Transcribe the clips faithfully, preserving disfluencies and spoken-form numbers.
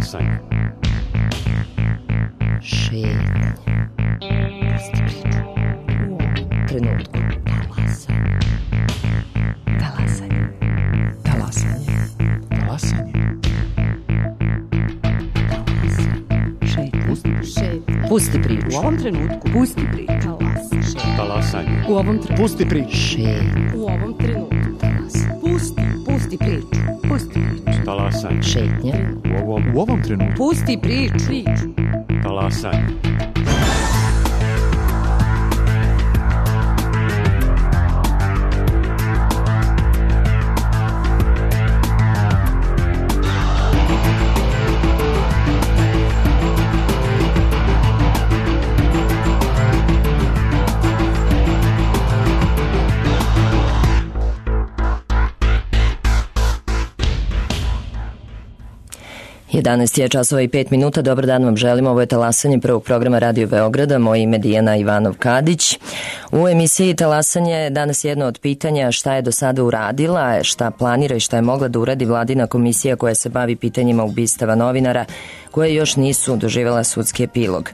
Talasanje. Šetnje. Pusti priču. U ovom trenutku. Talasanje. Talasanje. Talasanje. Šetnje. Pusti priču. U ovom trenutku. Pusti priču. Talasanje. U ovom trenutku. Pusti priču. Šetnje. U ovom trenutku. Pusti, pusti priču. Pusti priču. Talasanje. Šetnje. U ovom, U ovom trenutku. Pusti priču. Priču. talasanje. jedanaest je časova i pet minuta. Dobar dan vam želimo. Ovo je Talasanje prvog programa Radio Beograda. Moje ime je Dijana Ivanov-Kadić. U emisiji Talasanje danas je jedno od pitanja šta je do sada uradila, šta planira i šta je mogla da uradi vladina komisija koja se bavi pitanjima ubistava novinara koje još nisu doživjela sudski epilog.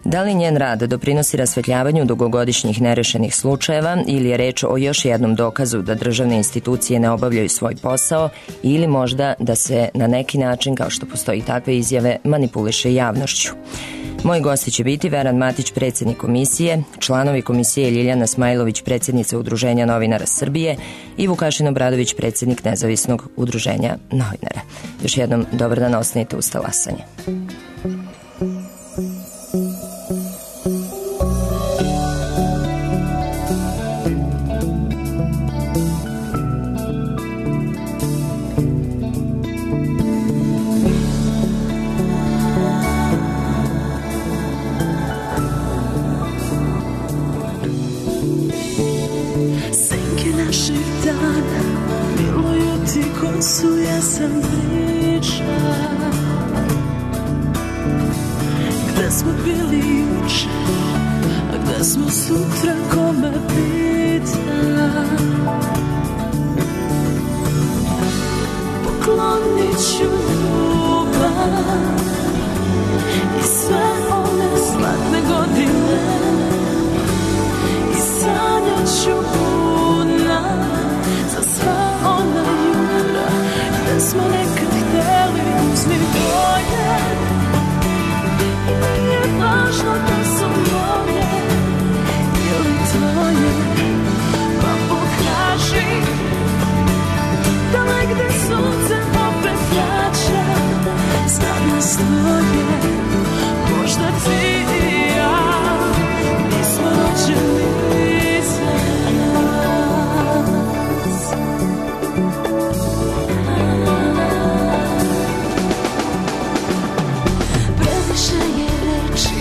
Da li njen rad doprinosi rasvetljavanju dugogodišnjih nerešenih slučajeva ili je reč o još jednom dokazu da državne institucije ne obavljaju svoj posao ili možda da se na neki način, kao što postoji takve izjave, manipuliše javnošću? Moji gosti će biti Veran Matić, predsjednik komisije, članovi komisije Ljiljana Smajlović, predsjednica Udruženja novinara Srbije i Vukašin Obradović, predsjednik Nezavisnog udruženja novinara. Još jednom, dobar dan, ostanite uz Talasanje. Gde smo bili juče, a gde smo sutra, ko me pita? Poklonit ću ljubav i sve one zlatne godine i sanjat ću budna za sva ona jutra gde smo nekad hteli uzmi boje. Nije važno da su moje ili tvoje, pa pokaži da negde sunce opet vraća. Znam nas dvoje, možda ti i ja nismo rođeni za nas. Previše je reči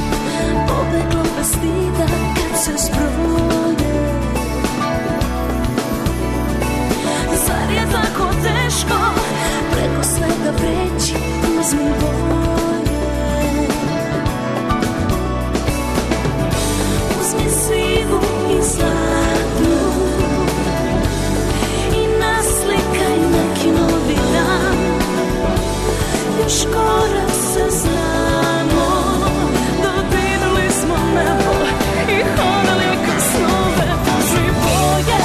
pobeglo bez stida kad se zbroje. Zar je tako teško preko svega preći? Uzmi boje, uzmi sivu i zlatnu i naslikaj neki novi dan. Još korak se znamo, dodirali smo nebo i hodali kroz snove. Uzmi boje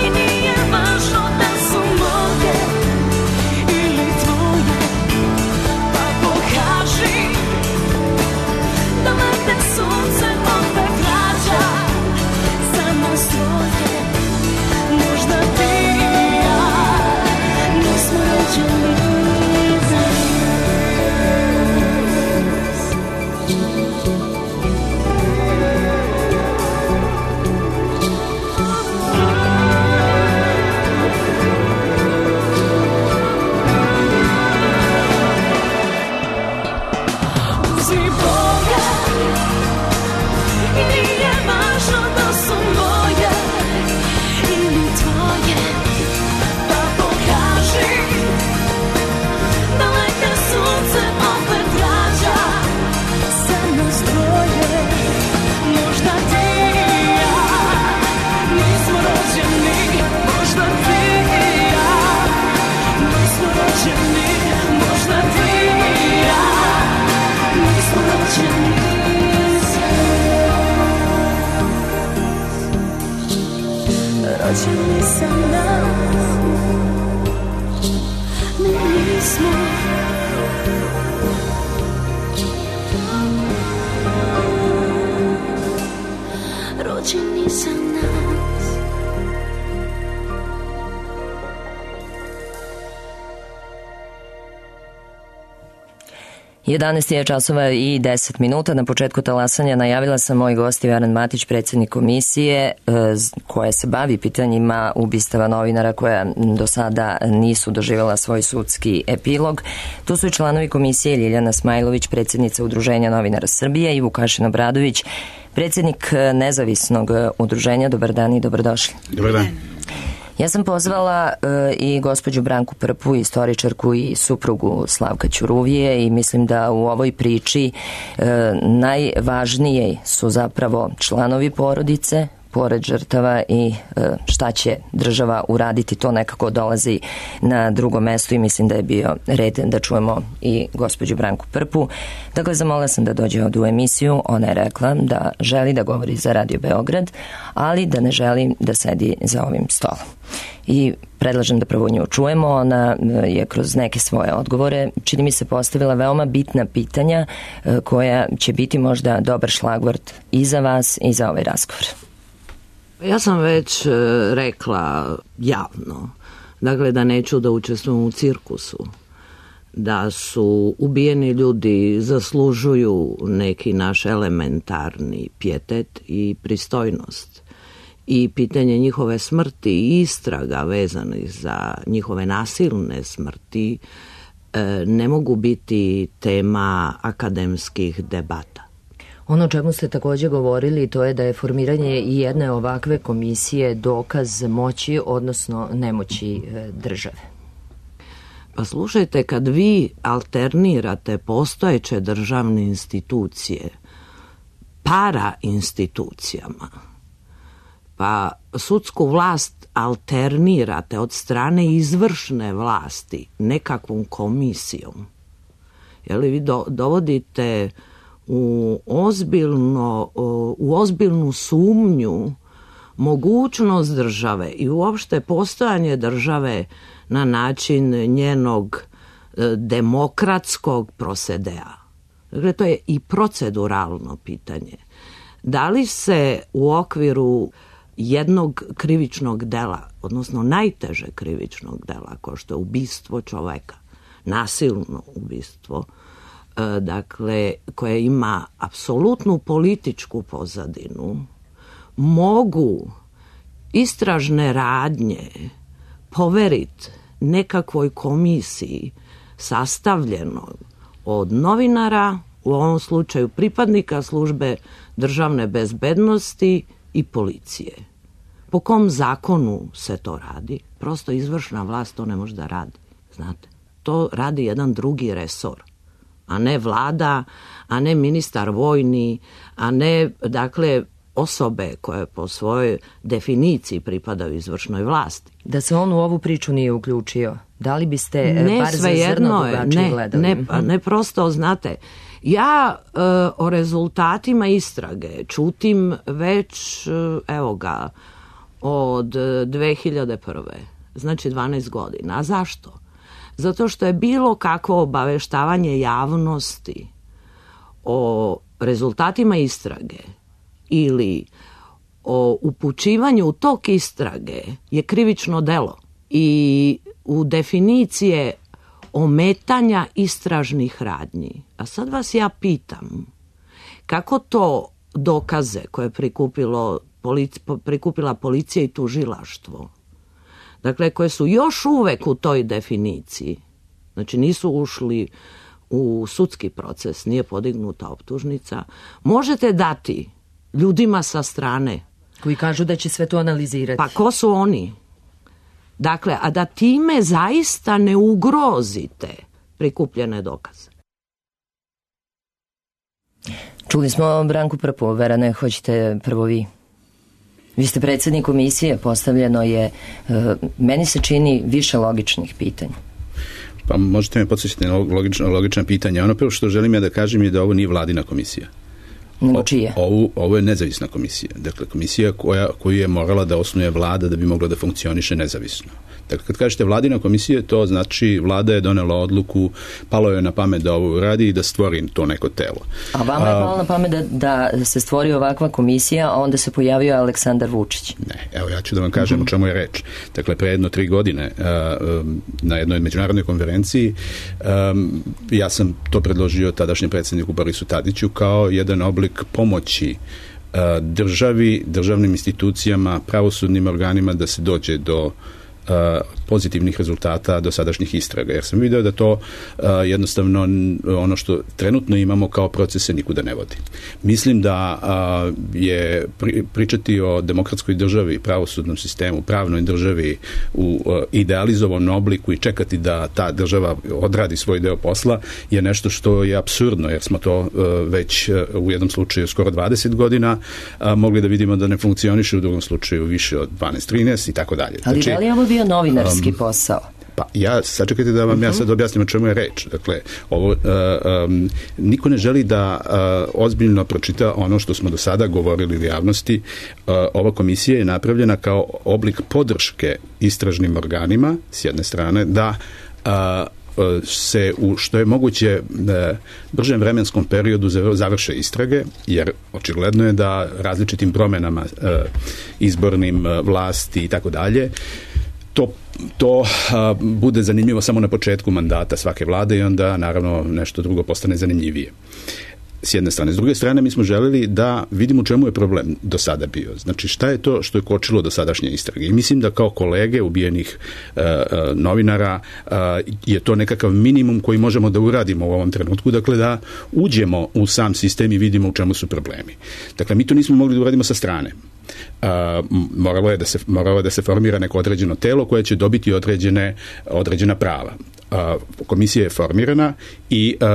i nije važno da su moje ili tvoje, rođeni za nas. Ne, nismo. Rođeni za nas. jedanaest je časova i deset minuta. Na početku talasanja najavila sam moj gost Veran Matić, predsjednik komisije koja se bavi pitanjima ubistava novinara koja do sada nisu doživjela svoj sudski epilog. Tu su i članovi komisije Ljiljana Smajlović, predsjednica Udruženja novinara Srbije, i Vukašin Obradović, predsjednik nezavisnog udruženja. Dobar dan i dobrodošli. Dobar dan. Ja sam pozvala uh, i gospođu Branku Prpu, istoričarku i suprugu Slavka Ćuruvije, i mislim da u ovoj priči uh, najvažnije su zapravo članovi porodice, pored žrtava, i uh, šta će država uraditi, to nekako dolazi na drugo mesto i mislim da je bio red da čujemo i gospođu Branku Prpu. Dakle, zamolila sam da dođe ovdje u emisiju. Ona je rekla da želi da govori za Radio Beograd, ali da ne želi da sedi za ovim stolom. I predlažem da prvo nju čujemo. Ona je kroz neke svoje odgovore, čini mi se, postavila veoma bitna pitanja koja će biti možda dobar šlagvort i za vas i za ovaj razgovor. Ja sam već rekla javno, dakle, da neću da učestvujem u cirkusu, da su ubijeni ljudi zaslužuju neki naš elementarni pijetet i pristojnost. I pitanje njihove smrti i istraga vezanih za njihove nasilne smrti ne mogu biti tema akademskih debata. Ono o čemu ste također govorili, to je da je formiranje i jedne ovakve komisije dokaz moći, odnosno nemoći države. Pa slušajte, kad vi alternirate postojeće državne institucije para institucijama, pa sudsku vlast alternirate od strane izvršne vlasti nekakvom komisijom, je li vi do, dovodite u ozbiljno, u ozbiljnu sumnju mogućnost države i uopšte postojanje države na način njenog demokratskog prosedea. Dakle, to je i proceduralno pitanje. Da li se u okviru jednog krivičnog dela, odnosno najteže krivičnog dela, kao što je ubistvo čoveka, nasilno ubistvo, dakle, koje ima apsolutnu političku pozadinu, mogu istražne radnje poveriti nekakvoj komisiji sastavljenoj od novinara, u ovom slučaju pripadnika službe državne bezbednosti i policije. Po kom zakonu se to radi? Prosto izvršna vlast to ne može da radi. Znate, to radi jedan drugi resor, a ne vlada, a ne ministar vojni, a ne, dakle, osobe koje po svojoj definiciji pripadaju izvršnoj vlasti. Da se on u ovu priču nije uključio, da li biste ne, bar za zrno drugačije ne, gledali? Ne, ne, prosto, znate, ja e, o rezultatima istrage čutim već, evo ga, od dve hiljade prve. Znači dvanaest godina. A zašto? Zato što je bilo kakvo obaveštavanje javnosti o rezultatima istrage ili o upućivanju tog istrage je krivično delo i u definicije ometanja istražnih radnji. A sad vas ja pitam, kako to dokaze koje je prikupilo, polici, prikupila policija i tužilaštvo, dakle, koje su još uvek u toj definiciji, znači nisu ušli u sudski proces, nije podignuta optužnica, možete dati ljudima sa strane. Koji kažu da će sve to analizirati. Pa ko su oni? Dakle, a da time zaista ne ugrozite prikupljene dokaze. Čuli smo Branku Prpu. Verane, hoćete prvo vi? Vi ste predsjednik komisije, postavljeno je, meni se čini, više logičnih pitanja. Pa možete me podsjećati na logična, logična pitanja. Ono prvo što želim ja da kažem je da ovo nije vladina komisija. Nego čije? Ovo, ovo je nezavisna komisija. Dakle, komisija koja, koju je morala da osnuje vlada da bi mogla da funkcioniše nezavisno. Dakle, kad kažete vladina komisija, to znači vlada je donela odluku, palo je na pamet da ovo radi i da stvori to neko telo. A vama je palo na pamet da, da se stvori ovakva komisija, a onda se pojavio Aleksandar Vučić? Ne, evo ja ću da vam kažem mm-hmm. o čemu je reč. Dakle, pre jedno tri godine na jednoj međunarodnoj konferenciji ja sam to predložio tadašnjem predsjedniku Borisu Tadiću kao jedan oblik pomoći državi, državnim institucijama, pravosudnim organima da se dođe do pozitivnih rezultata dosadašnjih istraga. Jer sam video da to uh, jednostavno ono što trenutno imamo kao procese nikuda ne vodi. Mislim da uh, je pri, pričati o demokratskoj državi, pravosudnom sistemu, pravnoj državi u uh, idealizovanom obliku i čekati da ta država odradi svoj deo posla je nešto što je apsurdno, jer smo to uh, već uh, u jednom slučaju skoro dvadeset godina uh, mogli da vidimo da ne funkcioniše, u drugom slučaju više od dvanaest trinaest i tako dalje. Ali znači, da li je ovo bio novinarski um, posao? Pa ja, sačekajte da vam uh-huh. ja sad objasnim o čemu je reč. Dakle, ovo, uh, um, niko ne želi da uh, ozbiljno pročita ono što smo do sada govorili u javnosti. Uh, ova komisija je napravljena kao oblik podrške istražnim organima, s jedne strane, da uh, se u što je moguće bržem vremenskom periodu završe istrage, jer očigledno je da različitim promenama izbornim vlasti i tako dalje to to a, bude zanimljivo samo na početku mandata svake vlade i onda naravno nešto drugo postane zanimljivije. S jedne strane. S druge strane, mi smo želeli da vidimo u čemu je problem do sada bio. Znači, šta je to što je kočilo do sadašnje istrage? I mislim da kao kolege ubijenih uh, uh, novinara uh, je to nekakav minimum koji možemo da uradimo u ovom trenutku, dakle da uđemo u sam sistem i vidimo u čemu su problemi. Dakle, mi to nismo mogli da uradimo sa strane. Uh, moralo je da se, moralo je da se formira neko određeno telo koje će dobiti određene, određena prava. Uh, komisija je formirana i uh,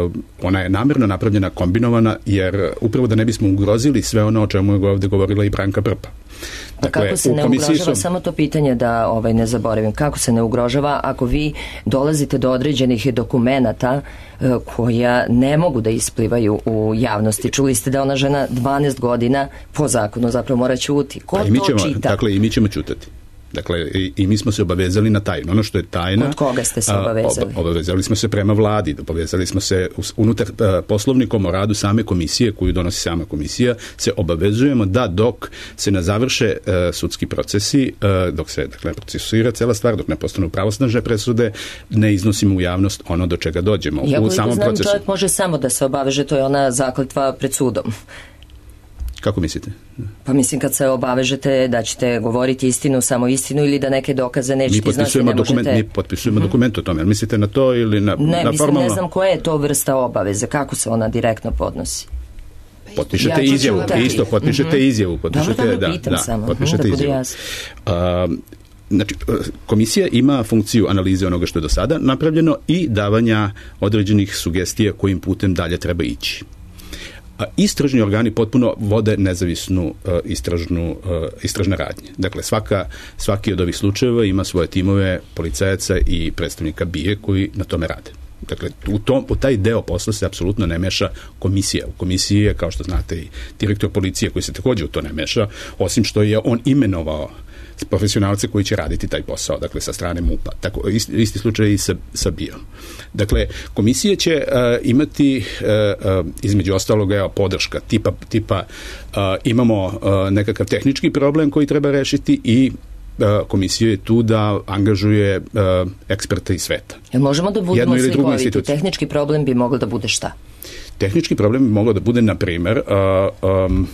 uh, ona je namjerno napravljena kombinovana, jer upravo da ne bismo ugrozili sve ono o čemu je ovdje govorila i Branka Prpa. Pa dakle, kako se ne ugrožava, su... samo to pitanje da ovaj, ne zaboravim, kako se ne ugrožava ako vi dolazite do određenih dokumenata uh, koja ne mogu da isplivaju u javnosti. Čuli ste da ona žena dvanaest godina po zakonu zapravo mora ćuti. Ko pa to ćemo, čita? Dakle, i mi ćemo ćutati. Dakle, i, i mi smo se obavezali na tajnu. Ono što je tajna... Od koga ste se obavezali? A, obavezali smo se prema vladi, obavezali smo se unutar a, poslovnikom o radu same komisije, koju donosi sama komisija, se obavezujemo da dok se ne završe a, sudski procesi, a, dok se dakle, procesuira cela stvar, dok ne postanu pravosnažne presude, ne iznosimo u javnost ono do čega dođemo. Ja u samom znam, procesu. Čovjek može samo da se obaveže, to je ona zakletva pred sudom. Kako mislite? Pa mislim kad se obavežete da ćete govoriti istinu, samo istinu ili da neke dokaze nećete iznati, ne možete... Dokument, mi potpisujemo uh-huh. dokument o tome. Mislite na to ili na, ne, na mislim, formalno? Ne znam koja je to vrsta obaveze, kako se ona direktno podnosi. Potpišete ja izjavu, isto potpišete uh-huh. izjavu. Potpišete, dobro, dobro, da, pitam da, samo. potpišete uh-huh, izjavu. Uh, znači, komisija ima funkciju analize onoga što je do sada napravljeno i davanja određenih sugestija kojim putem dalje treba ići. Istražni organi potpuno vode nezavisnu uh, istražnu, uh, istražne radnje. Dakle, svaka, svaki od ovih slučajeva ima svoje timove policajaca i predstavnika B I A koji na tome rade. Dakle, u, tom, u taj deo posla se apsolutno ne meša komisija. U komisiji je, kao što znate, i direktor policije koji se također u to ne meša, osim što je on imenovao profesionalce koji će raditi taj posao, dakle sa strane MUP-a. Tako, isti, isti slučaj i sa, sa B I A-om. Dakle, komisija će uh, imati uh, uh, između ostaloga evo, podrška tipa, tipa uh, imamo uh, nekakav tehnički problem koji treba rešiti i uh, komisija je tu da angažuje uh, eksperte iz sveta. Jel možemo da budemo slikoviti? Tehnički problem bi moglo da bude šta? Tehnički problem bi moglo da bude, na primjer, uh, um,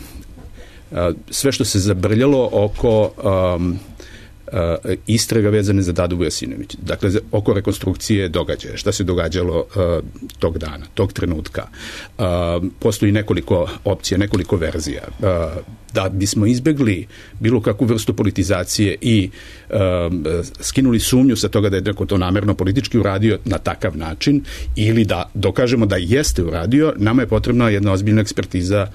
Uh, sve što se zabrljalo oko um, uh, istraga vezane za Dadu Vujasinović. Dakle, oko rekonstrukcije događaja. Šta se događalo uh, tog dana, tog trenutka. Uh, postoji nekoliko opcija, nekoliko verzija. Uh, da bismo izbegli bilo kakvu vrstu politizacije i um, skinuli sumnju sa toga da je neko to namerno politički uradio na takav način ili da dokažemo da jeste uradio, nama je potrebna jedna ozbiljna ekspertiza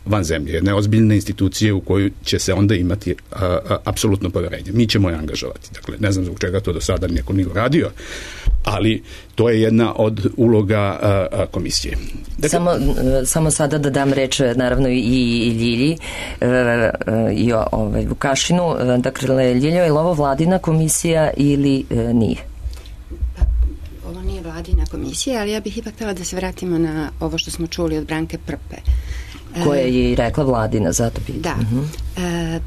van zemlje, jedne ozbiljne institucije u koju će se onda imati a, a, apsolutno poverenje. Mi ćemo je angažovati. Dakle, ne znam zbog čega to do sada neko nije uradio, ali to je jedna od uloga a, a, komisije. Dakle, samo, samo sada da dam reč naravno i, i Ljilji e, i ovaj, Vukašinu. Dakle, Ljiljo, je li ovo vladina komisija ili e, nije? Ovo nije vladina komisija, ali ja bih ipak htjela da se vratimo na ovo što smo čuli od Branke Prpe. Koja je i rekla vladina, zato pitam. Da. Uh-huh. E,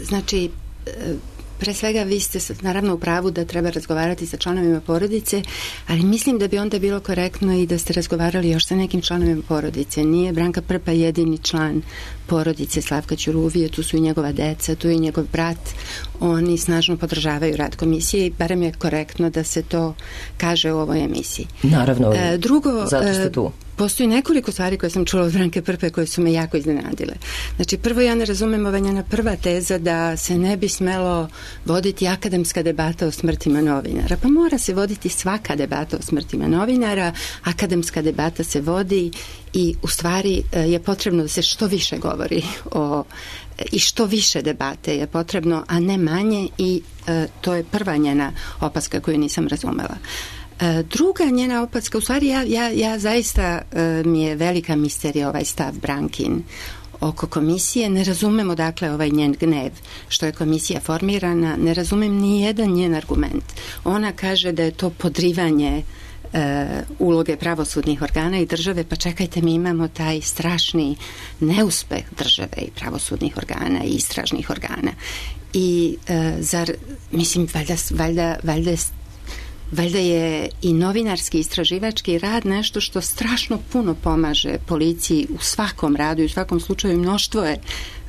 znači, pre svega vi ste naravno u pravu da treba razgovarati sa članovima porodice, ali mislim da bi onda bilo korektno i da ste razgovarali još sa nekim članovima porodice. Nije Branka Prpa jedini član porodice Slavka Ćuruvije, tu su i njegova deca, tu je i njegov brat. Oni snažno podržavaju rad komisije i barem je korektno da se to kaže u ovoj emisiji. Naravno, e, drugo, zato ste tu. Postoji nekoliko stvari koje sam čula od Branke Prpe koje su me jako iznenadile. Znači, prvo, ja ne razumem ova njena prva teza da se ne bi smelo voditi akademska debata o smrtima novinara. Pa mora se voditi svaka debata o smrtima novinara, akademska debata se vodi i u stvari je potrebno da se što više govori o, i što više debate je potrebno, a ne manje, i e, to je prva njena opaska koju nisam razumela. E, druga njena opaska, u stvari ja, ja, ja zaista e, mi je velika misterija ovaj stav Brankin oko komisije. Ne razumemo dakle ovaj njen gnev što je komisija formirana, ne razumem ni jedan njen argument. Ona kaže da je to podrivanje e, uloge pravosudnih organa i države, pa čekajte, mi imamo taj strašni neuspeh države i pravosudnih organa i istražnih organa. I e, zar, mislim, valjda, valjda, valjda Valjda je i novinarski istraživački rad nešto što strašno puno pomaže policiji u svakom radu i u svakom slučaju. Mnoštvo je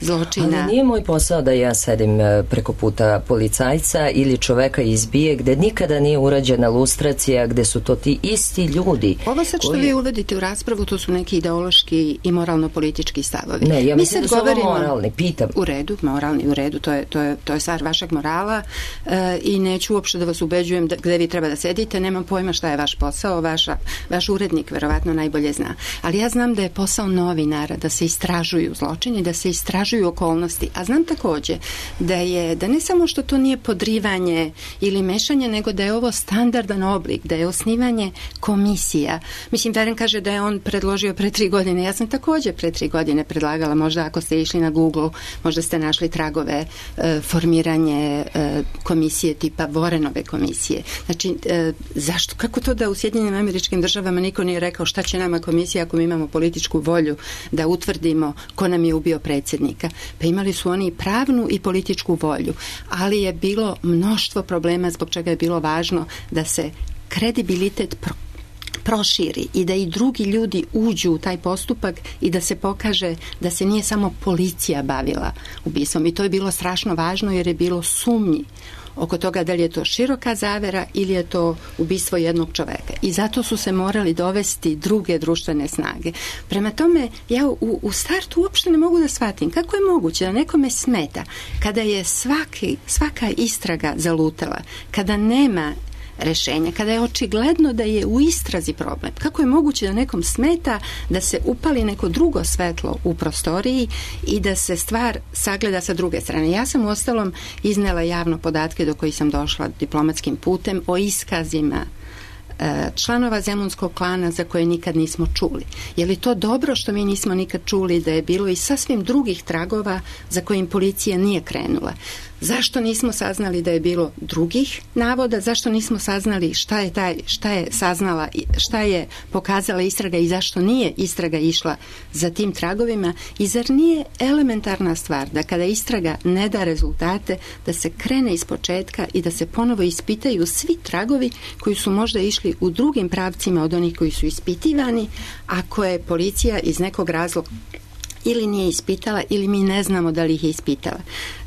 zločina. Ali nije moj posao da ja sedim preko puta policajca ili čoveka izbije gde nikada nije urađena lustracija, gde su to ti isti ljudi. Ovo sad što koji... vi uvodite u raspravu, to su neki ideološki i moralno-politički stavovi. Ne, ja mislim Mi da su govorimo... ovo moralni, pitam. U redu, moralni, u redu, to je, to je, to je stvar vašeg morala e, i neću uopšte da vas ubeđujem da, gde vi treba da sedite, nemam pojma šta je vaš posao, vaša, vaš urednik verovatno najbolje zna. Ali ja znam da je posao novinara da se istražuju zločini, da se istražuju okolnosti, a znam takođe da je, da ne samo što to nije podrivanje ili mešanje, nego da je ovo standardan oblik, da je osnivanje komisija. Mislim, Veren kaže da je on predložio pre tri godine. Ja sam takođe pre tri godine predlagala, možda ako ste išli na Google, možda ste našli tragove e, formiranje e, komisije tipa Vorenove komisije. Znači, e, zašto? Kako to da u Sjedinjenim Američkim Državama niko nije rekao šta će nama komisija ako mi imamo političku volju da utvrdimo ko nam je ubio predsjednika? Pa imali su oni pravnu i političku volju, ali je bilo mnoštvo problema zbog čega je bilo važno da se kredibilitet pro proširi i da i drugi ljudi uđu u taj postupak i da se pokaže da se nije samo policija bavila ubistvom. I to je bilo strašno važno jer je bilo sumnji oko toga da li je to široka zavera ili je to ubistvo jednog čoveka. I zato su se morali dovesti druge društvene snage. Prema tome, ja u, u startu uopšte ne mogu da shvatim kako je moguće da nekome smeta kada je svaki, svaka istraga zalutala, kada nema rešenja, kada je očigledno da je u istrazi problem. Kako je moguće da nekom smeta da se upali neko drugo svetlo u prostoriji i da se stvar sagleda sa druge strane? Ja sam uostalom iznela javno podatke do kojih sam došla diplomatskim putem o iskazima članova Zemunskog klana za koje nikad nismo čuli. Je li to dobro što mi nismo nikad čuli da je bilo i sasvim drugih tragova za kojim policija nije krenula? Zašto nismo saznali da je bilo drugih navoda? Zašto nismo saznali šta je, taj, šta je saznala, šta je pokazala istraga i zašto nije istraga išla za tim tragovima? I zar nije elementarna stvar da kada istraga ne da rezultate, da se krene iz početka i da se ponovo ispitaju svi tragovi koji su možda išli u drugim pravcima od onih koji su ispitivani, ako je policija iz nekog razloga ili nije ispitala ili mi ne znamo da li ih je ispitala.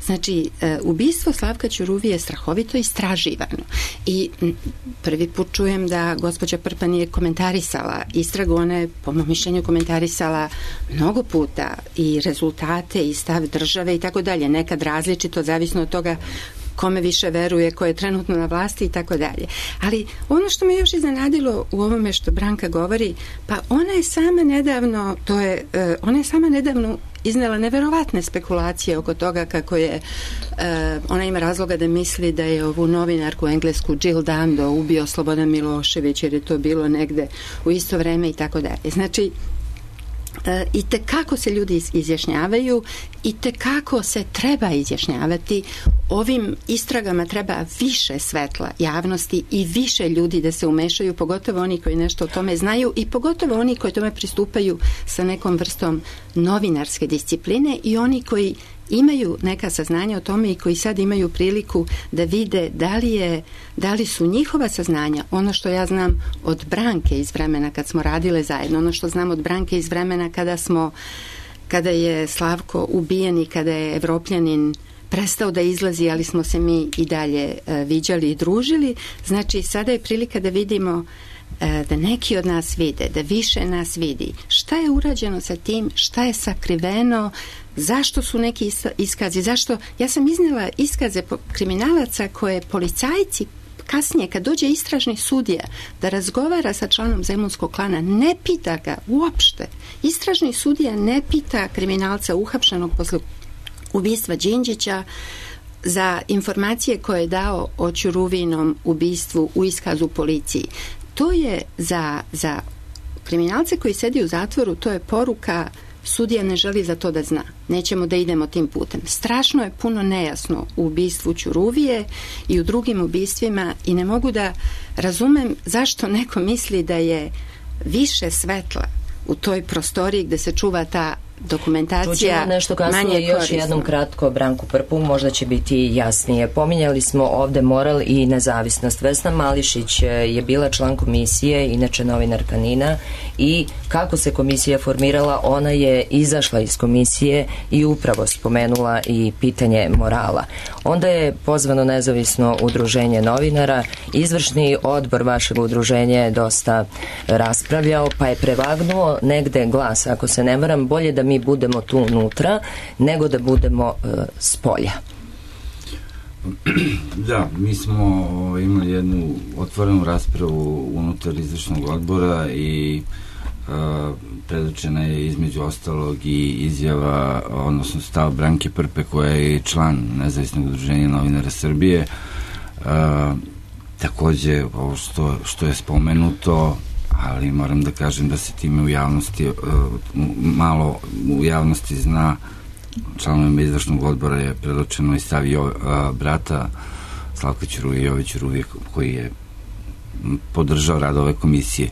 Znači, e, ubistvo Slavka Ćuruvije je strahovito istraživano i m, prvi put čujem da gospođa Prpa nije komentarisala istragu. Ona je, po mom mišljenju, komentarisala mnogo puta i rezultate i stav države i tako dalje. Nekad različito, zavisno od toga kome više veruje, ko je trenutno na vlasti i tako dalje. Ali ono što me još iznenadilo u ovome što Branka govori, pa ona je sama nedavno, to je, uh, ona je sama nedavno iznela neverovatne spekulacije oko toga kako je uh, ona ima razloga da misli da je ovu novinarku englesku Jill Dando ubio Slobodan Milošević jer je to bilo negde u isto vreme i tako dalje. Znači, E, i te kako se ljudi izjašnjavaju i te kako se treba izjašnjavati. Ovim istragama treba više svetla javnosti i više ljudi da se umešaju, pogotovo oni koji nešto o tome znaju i pogotovo oni koji tome pristupaju sa nekom vrstom novinarske discipline i oni koji imaju neka saznanja o tome i koji sad imaju priliku da vide da li, je, da li su njihova saznanja, ono što ja znam od Branke iz vremena kad smo radile zajedno, ono što znam od Branke iz vremena kada smo, kada je Slavko ubijen i kada je Evropljanin prestao da izlazi, ali smo se mi i dalje uh, viđali i družili. Znači, sada je prilika da vidimo uh, da neki od nas vide, da više nas vidi. Šta je urađeno sa tim, šta je sakriveno, zašto su neki iskazi, zašto, ja sam iznela iskaze kriminalaca koje policajci kasnije, kad dođe istražni sudija da razgovara sa članom zemunskog klana, ne pita ga uopšte. Istražni sudija ne pita kriminalca uhapšenog posle ubistva Đinđića za informacije koje je dao o Ćuruvinom ubistvu u iskazu policiji. To je za, za kriminalce koji sedi u zatvoru, to je poruka: sudija ne želi za to da zna. Nećemo da idemo tim putem. Strašno je puno nejasno u ubistvu Ćuruvije i u drugim ubistvima i ne mogu da razumem zašto neko misli da je više svetla u toj prostoriji gde se čuva ta dokumentacija. Čućemo nešto kasnije još korisno. Jednom kratko Branku Prpu, možda će biti jasnije. Pominjali smo ovde moral i nezavisnost. Vesna Mališić je bila član komisije, inače novinarka NIN-a, i kako se komisija formirala, ona je izašla iz komisije i upravo spomenula i pitanje morala. Onda je pozvano nezavisno udruženje novinara, izvršni odbor vašeg udruženja je dosta raspravljao, pa je prevagnuo negde glas, ako se ne varam, bolje da mi budemo tu unutra nego da budemo uh, s polja. Da, mi smo o, imali jednu otvorenu raspravu unutar izvršnog odbora i uh, predočena je između ostalog i izjava, odnosno stav Branke Prpe, koja je član Nezavisnog udruženja novinara Srbije. Uh, takođe, ovo što, što je spomenuto, ali moram da kažem da se time u javnosti uh, malo u javnosti zna, članovima izvršnog odbora je predočeno i stav uh, brata Slavka Ćuruvije, Jove Ćuruvije, koji je podržao rad ove komisije.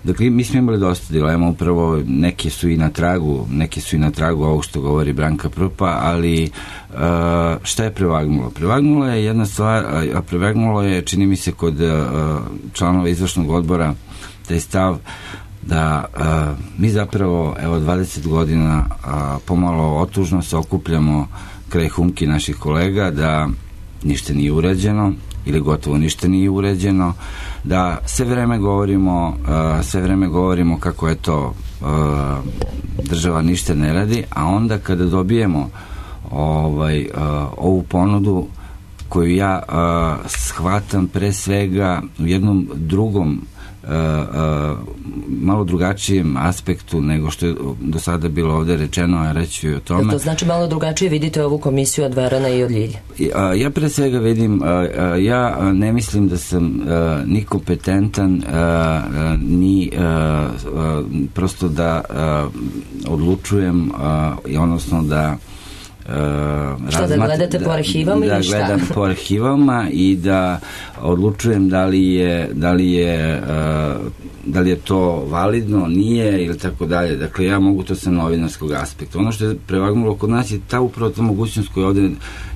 Dakle, mi smo imali dosta dilema, upravo neke su i na tragu, neke su i na tragu ovog što govori Branka Prpa, ali uh, šta je prevagnulo? Prevagnulo je jedna stvar, a prevagnulo je, čini mi se, kod uh, članova izvršnog odbora taj stav da uh, mi zapravo, evo, dvadeset godina uh, pomalo otužno se okupljamo kraj humki naših kolega, da ništa nije urađeno ili gotovo ništa nije urađeno, da sve vreme govorimo uh, sve vreme govorimo kako je to uh, država ništa ne radi, a onda kada dobijemo ovaj, uh, ovu ponudu koju ja uh, shvatam pre svega u jednom drugom Uh, uh, malo drugačijem aspektu nego što je do sada bilo ovde rečeno, a reći o tome. To znači malo drugačije vidite ovu komisiju od Verana i od Ljilje? Uh, ja pre svega vidim, uh, uh, ja ne mislim da sam uh, ni kompetentan uh, uh, ni uh, uh, prosto da uh, odlučujem uh, odnosno da Uh, šta, da gledate da, po arhivama da ili šta? Da gledam po arhivama i da odlučujem da li je da li je uh, da li je to validno, nije ili tako dalje. Dakle, ja mogu to sa novinarskog aspekta. Ono što je prevagnulo kod nas je ta upravo ta mogućnost koju ovde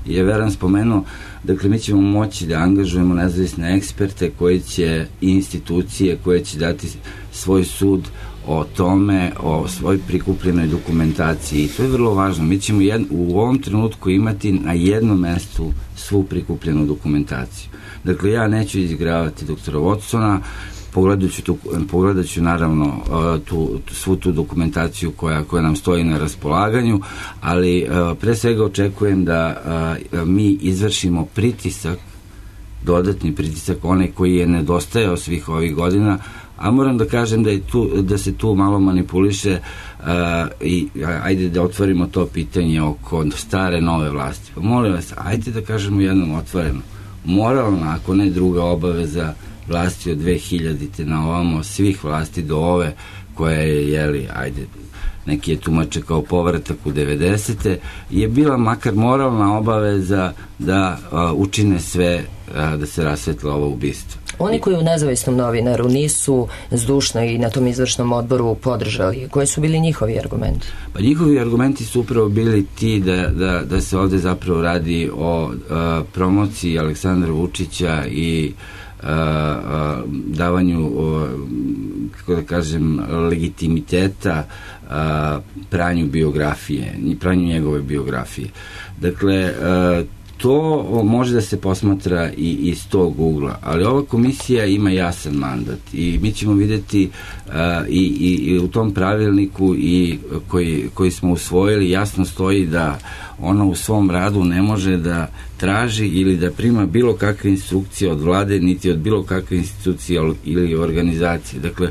je Veran spomenuo. Dakle, mi ćemo moći da angažujemo nezavisne eksperte koji će, i institucije koje će dati svoj sud o tome, o svoj prikupljenoj dokumentaciji. I to je vrlo važno. Mi ćemo jed, u ovom trenutku imati na jednom mestu svu prikupljenu dokumentaciju. Dakle, ja neću izigravati doktora Watsona, pogledat ću, tu, pogledat ću naravno tu, svu tu dokumentaciju koja, koja nam stoji na raspolaganju, ali pre svega očekujem da mi izvršimo pritisak, dodatni pritisak, onaj koji je nedostajao svih ovih godina, A moram da kažem da, je tu, da se tu malo manipuliše uh, i ajde da otvorimo to pitanje oko stare nove vlasti. Pa molim vas, ajde da kažemo jednom otvoreno. Moralna, ako ne druga obaveza vlasti od dve hiljadite na ovamo, svih vlasti do ove koja je, jeli, ajde, neki je tumače kao povratak u devedesete, je bila makar moralna obaveza da a, učine sve a, da se rasvetla ovo ubistvo. Oni koji u nezavisnom novinaru nisu zdušno i na tom izvršnom odboru podržali, koji su bili njihovi argumenti? Pa njihovi argumenti su upravo bili ti da, da, da se ovde zapravo radi o a, promociji Aleksandra Vučića i a, a, davanju, a, kako da kažem, legitimiteta a, pranju biografije, pranju njegove biografije. Dakle, a, to može da se posmatra i iz tog ugla, ali ova komisija ima jasan mandat i mi ćemo videti uh, i, i, i u tom pravilniku i koji, koji smo usvojili jasno stoji da ona u svom radu ne može da traži ili da prima bilo kakve instrukcije od vlade, niti od bilo kakve institucije ili organizacije. Dakle,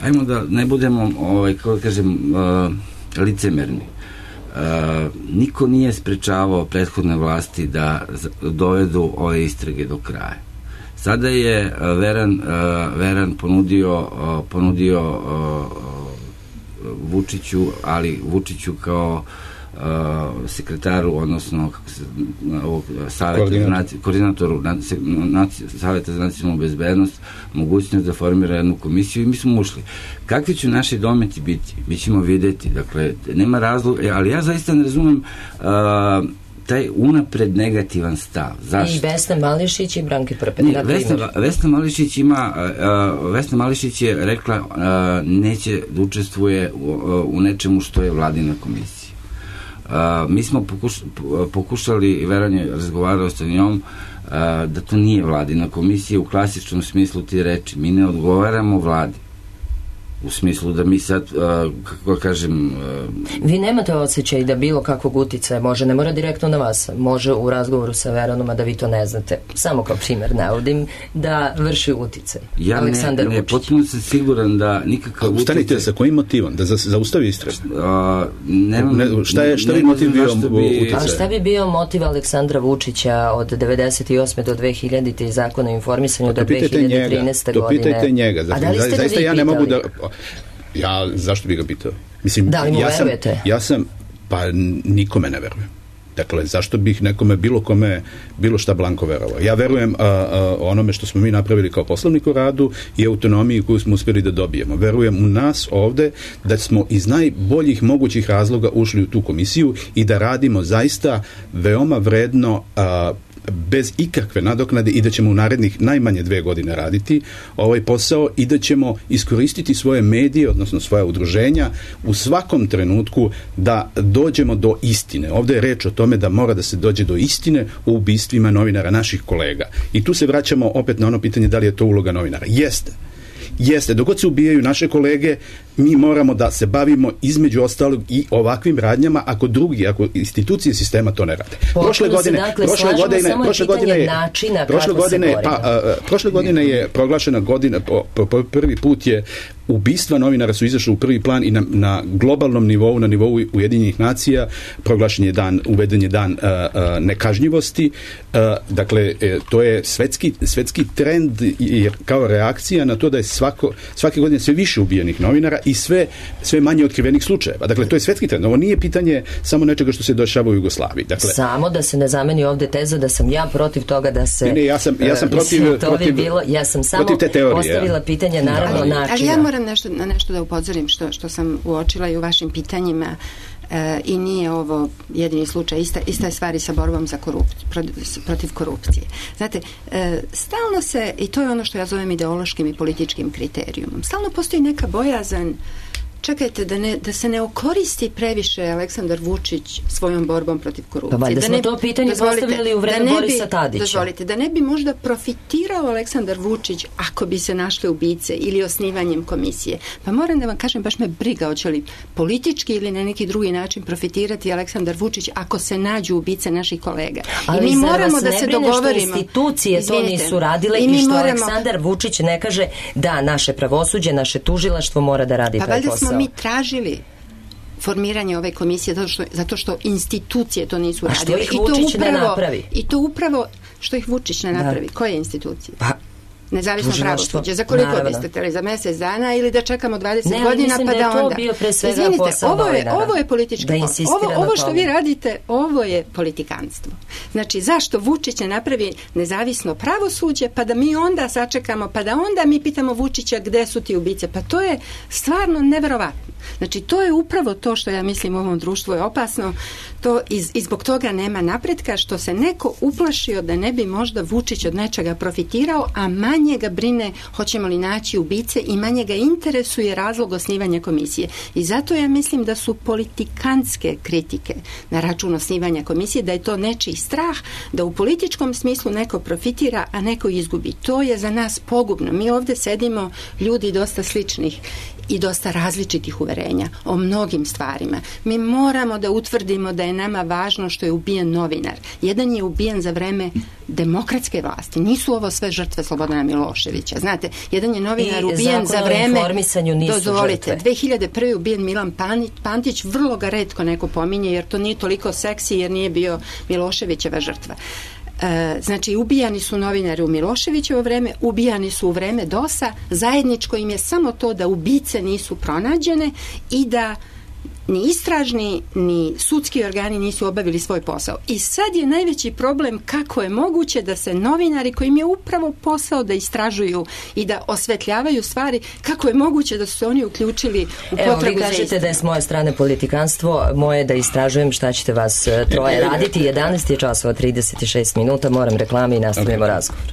ajmo da ne budemo, ovaj, kako kažem, uh, licemerni. Uh, niko nije sprečavao prethodne vlasti da dovedu ove istrage do kraja. Sada je uh, Veran, uh, Veran ponudio, uh, ponudio uh, Vučiću, ali Vučiću kao uh, sekretaru, odnosno kako se, ovog saveta, koordinatoru Saveta za nacionalnu bezbednost, mogućnost da formira jednu komisiju i mi smo ušli. Kakvi će naši dometi biti? Mi ćemo videti. Dakle, nema razloga, ali ja zaista ne razumem uh, taj unapred negativan stav. Zašto? I Vesna Mališić i Branke Prpet. Ne, Vesna, Vesna Mališić ima, uh, Vesna Mališić je rekla uh, neće da učestvuje u, uh, u nečemu što je vladina komisija. Uh, mi smo pokuš, pokušali, Veran je razgovarao sa njom, uh, da to nije vladina komisija u klasičnom smislu ti reči. Mi ne odgovaramo vladi. U smislu da mi sad, uh, kako kažem... Uh, Vi nemate osjećaj da bilo kakvog uticaja može, ne mora direktno na vas, može u razgovoru sa Veranom, a da vi to ne znate, samo kao primjer navodim, da vrši uticaj. Ja Aleksandar ne, ne, potpuno sam siguran da nikakav uticaj... Ustanite, sa kojim motivom? Da se zaustavi istraga? Uh, nemam, ne, šta je, šta bi motiv bio bi... A šta bi bio motiv Aleksandra Vučića od devedeset osme do dve hiljadite i zakona o informisanju do dve hiljade trinaeste to godine? To pitajte njega. A da li ste ga zaista vi ja pitali? ne mogu da... Ja, zašto bi ga pitao? Mislim, da li mu ja sam, verujete? Ja sam, pa nikome ne verujem. Dakle, zašto bih nekome, bilo kome, bilo šta blanko verovao? Ja verujem a, a, onome što smo mi napravili kao poslovnik u radu i autonomiji koju smo uspjeli da dobijemo. Verujem u nas ovde da smo iz najboljih mogućih razloga ušli u tu komisiju i da radimo zaista veoma vredno, a, bez ikakve nadoknade i da ćemo u narednih najmanje dve godine raditi ovaj posao i da ćemo iskoristiti svoje medije, odnosno svoja udruženja u svakom trenutku da dođemo do istine. Ovde je reč o tome da mora da se dođe do istine u ubistvima novinara, naših kolega. I tu se vraćamo opet na ono pitanje da li je to uloga novinara. Jeste. Jeste, dok god se ubijaju naše kolege, mi moramo da se bavimo između ostalog i ovakvim radnjama ako drugi, ako institucije sistema to ne rade. Prošle godine, dakle, prošle godine, prošle godine je načina prošle godine, pa, a, prošle godine je proglašena godina, po, po, po prvi put je ubistva novinara su izašli u prvi plan i na, na globalnom nivou, na nivou Ujedinjenih nacija proglašen je dan, uveden je dan a, a, nekažnjivosti. A, dakle, e, to je svetski, svetski trend jer kao reakcija na to da je svako, svake godine sve više ubijenih novinara i sve, sve manje otkrivenih slučajeva. Dakle, to je svetski trend. Ovo nije pitanje samo nečega što se dešava u Jugoslaviji. Dakle, samo da se ne zameni ovde teza da sam ja protiv toga da se... Ne, ne, ja sam, ja sam protiv, mislim, to protiv, bi bilo, ja sam samo teorije, postavila ja. pitanje naravno ali, načina. Ali ja moram nešto, na nešto da upozorim što, što sam uočila i u vašim pitanjima. E, i nije ovo jedini slučaj, ista, ista je stvari sa borbom za korupciju, protiv korupcije. Znate, e, stalno se, i to je ono što ja zovem ideološkim i političkim kriterijumom, stalno postoji neka bojazan čekajte, da, ne, da se ne okoristi previše Aleksandar Vučić svojom borbom protiv korupcije. Pa valjda da smo ne, to pitanje postavljali u vreme Borisa Tadića. Dozvolite, da ne bi možda profitirao Aleksandar Vučić ako bi se našle ubice ili osnivanjem komisije. Pa moram da vam kažem, baš me briga hoće li politički ili na neki drugi način profitirati Aleksandar Vučić ako se nađu ubice naših kolega. Ali I mi moramo da se dogovorimo. Što institucije Izvinite, to nisu radile i, i što moramo... Aleksandar Vučić ne kaže da naše pravosuđe, naše tužilaštvo mora da radi pa taj posao. Pa valjda smo mi tražili formiranje ove komisije zato što, zato što institucije to nisu radile. A što ih Vučić upravo, ne napravi? I to upravo što ih Vučić ne napravi. Da. Koje institucije? Pa nezavisno pravosuđe. Za koliko naravno. biste htjeli? Za mjesec dana ili da čekamo dvadeset ne, godina pa da onda... Ne, mislim da je to bio pre svega Izvinite, posao ovo je, novinara. ovo je politički posao. Ovo, ovo što vi radite, ovo je politikanstvo. Znači, zašto Vučić ne napravi nezavisno pravosuđe pa da mi onda sačekamo, pa da onda mi pitamo Vučića gde su ti ubice? Pa to je stvarno neverovatno. Znači, to je upravo to što ja mislim u ovom društvu je opasno. To iz, i zbog toga nema napretka, što se neko uplašio da ne bi možda Vučić od nečega profitirao, a manje ga brine hoćemo li naći ubice i manje ga interesuje razlog osnivanja komisije. I zato ja mislim da su politikantske kritike na račun osnivanja komisije, da je to nečiji strah, da u političkom smislu neko profitira, a neko izgubi. To je za nas pogubno. Mi ovdje sedimo ljudi dosta sličnih i dosta različitih uverenja o mnogim stvarima. Mi moramo da utvrdimo da je nama važno što je ubijen novinar. Jedan je ubijen za vreme demokratske vlasti. Nisu ovo sve žrtve Slobodana Miloševića. Znate, jedan je novinar I ubijen za vreme... Dozvolite, dve hiljade prve je ubijen Milan Pantić, vrlo ga retko neko pominje, jer to nije toliko seksi, jer nije bio Miloševićeva žrtva. E, znači, ubijani su novinari u Miloševićevo vreme, ubijani su u vreme dosa, zajedničko im je samo to da ubice nisu pronađene i da ni istražni, ni sudski organi nisu obavili svoj posao. I sad je najveći problem kako je moguće da se novinari kojim je upravo posao da istražuju i da osvetljavaju stvari, kako je moguće da su se oni uključili u potragu za Evo, vi kažete da je s moje strane politikanstvo, moje da istražujem šta ćete vas troje raditi. jedanaest je časova trideset šest minuta, moram reklame i nastavljamo razgovor.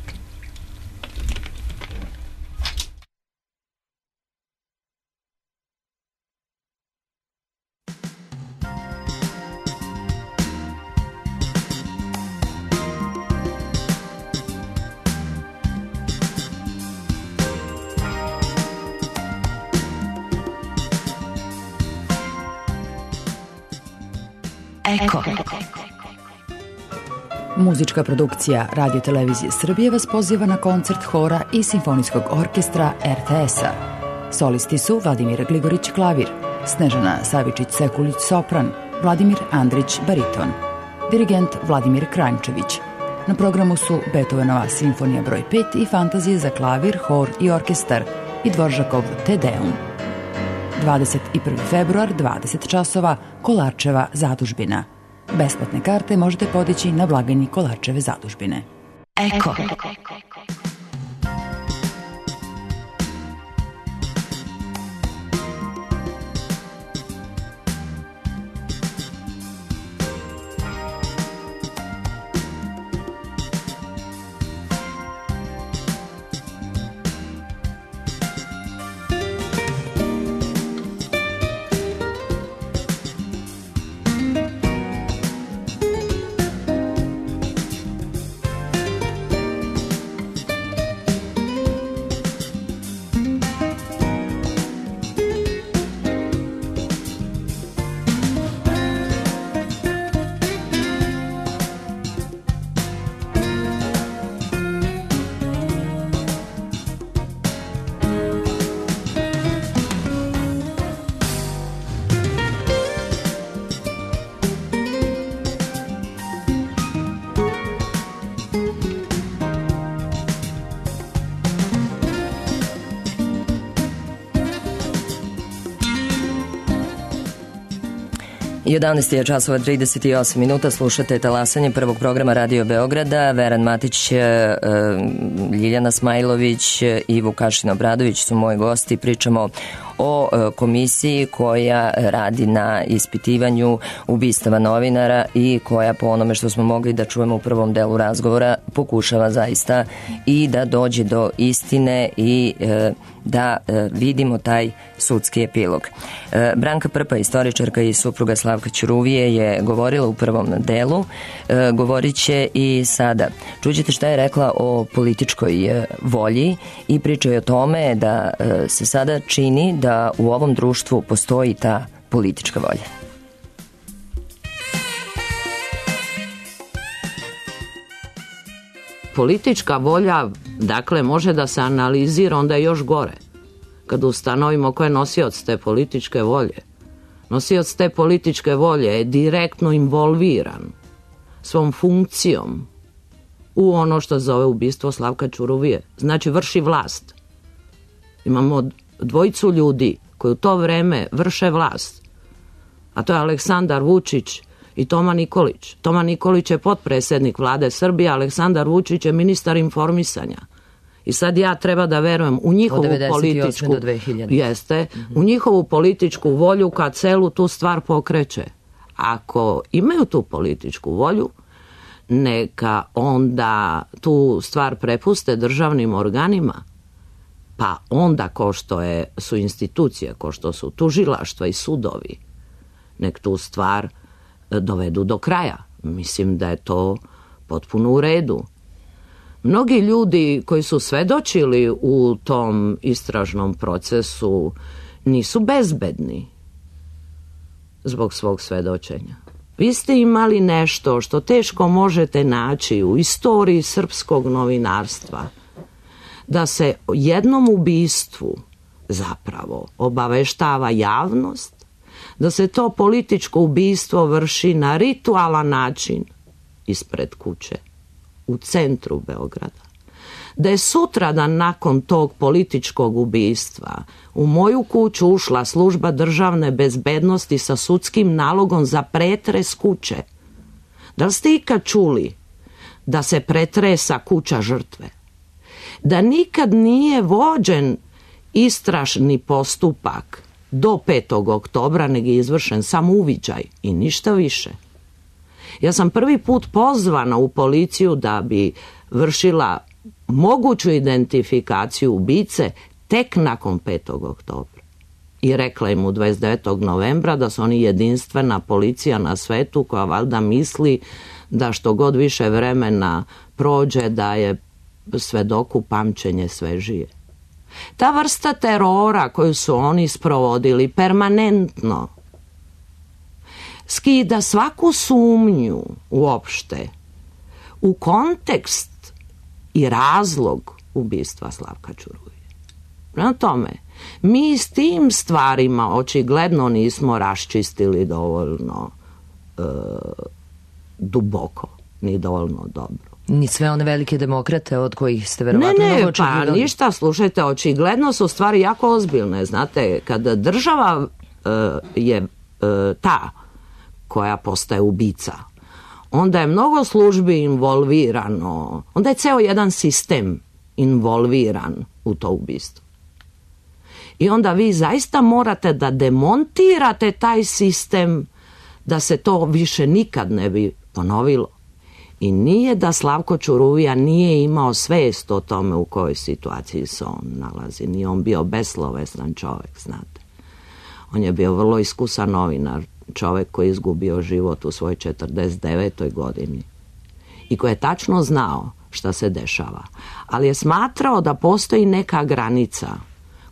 Eko. Muzička produkcija Radio Televizije Srbije vas poziva na koncert hora i simfonijskog orkestra er te es-a. Solisti su Vladimir Gligorić klavir, Snežana Savičić-Sekulić sopran, Vladimir Andrić bariton, dirigent Vladimir Kranjčević. Na programu su Beethovenova simfonija broj pet i fantazije za klavir, hor i orkestar i Dvoržakov Te Deum. dvadeset prvi februar, dvadeset časova, Kolarčeva zadužbina. Besplatne karte možete podići na blagajni Kolarčeve zadužbine. Eko. jedanaest je časova trideset osam minuta, slušate talasanje prvog programa Radio Beograda. Veran Matić, Ljiljana Smajlović i Vukašin Obradović su moji gosti. Pričamo o komisiji koja radi na ispitivanju ubistava novinara i koja, po onome što smo mogli da čujemo u prvom delu razgovora, pokušava zaista i da dođe do istine i da vidimo taj sudski epilog. Branka Prpa, istoričarka i supruga Slavka Ćuruvije, je govorila u prvom delu, govorit će i sada. Čućete šta je rekla o političkoj volji i priča o tome da se sada čini da u ovom društvu postoji ta politička volja. Politička volja, dakle, može da se analizira, onda je još gore. Kad ustanovimo ko je nosioc te političke volje. Nosioc te političke volje je direktno involviran svom funkcijom u ono što zove ubistvo Slavka Ćuruvije. Znači, vrši vlast. Imamo dvojicu ljudi koji u to vreme vrše vlast. A to je Aleksandar Vučić i Toma Nikolić. Toma Nikolić je potpredsjednik vlade Srbije, Aleksandar Vučić je ministar informisanja. I sad ja treba da verujem u njihovu političku, jeste, mm-hmm. u njihovu političku volju kad celu tu stvar pokreće. Ako imaju tu političku volju, neka onda tu stvar prepuste državnim organima, pa onda ko što je, su institucije, ko što su tužilaštva i sudovi, nek tu stvar dovedu do kraja. Mislim da je to potpuno u redu. Mnogi ljudi koji su svedočili u tom istražnom procesu nisu bezbedni zbog svog svedočenja. Vi ste imali nešto što teško možete naći u istoriji srpskog novinarstva, da se jednom ubistvu zapravo obaveštava javnost, da se to političko ubistvo vrši na ritualan način ispred kuće, u centru Beograda. Da je sutradan nakon tog političkog ubistva u moju kuću ušla služba državne bezbednosti sa sudskim nalogom za pretres kuće. Da li ste ikad čuli da se pretresa kuća žrtve? Da nikad nije vođen istražni postupak do petog oktobra, nego je izvršen samo uviđaj i ništa više. Ja sam prvi put pozvana u policiju da bi vršila moguću identifikaciju ubice tek nakon petog oktobra. I rekla im u dvadeset devetog novembra da su oni jedinstvena policija na svetu koja valjda misli da što god više vremena prođe da je svedoku pamćenje svežije. Ta vrsta terora koju su oni sprovodili permanentno skida svaku sumnju uopšte u kontekst i razlog ubistva Slavka Ćuruvije. Prema tome, mi s tim stvarima očigledno nismo raščistili dovoljno e, duboko, ni dovoljno dobro. Ni sve one velike demokrate od kojih ste verovatno ne, mnogo očekivali. Ne, pa ništa, slušajte, očigledno su stvari jako ozbiljne. Znate, kada država e, je e, ta koja postaje ubica, onda je mnogo službi involvirano, onda je ceo jedan sistem involviran u to ubistvo. I onda vi zaista morate da demontirate taj sistem da se to više nikad ne bi ponovilo. I nije da Slavko Ćuruvija nije imao svest o tome u kojoj situaciji se on nalazi. Nije on bio beslovesan čovjek, znate. On je bio vrlo iskusan novinar, čovjek koji je izgubio život u svojoj četrdeset devetoj godini i koji je tačno znao šta se dešava. Ali je smatrao da postoji neka granica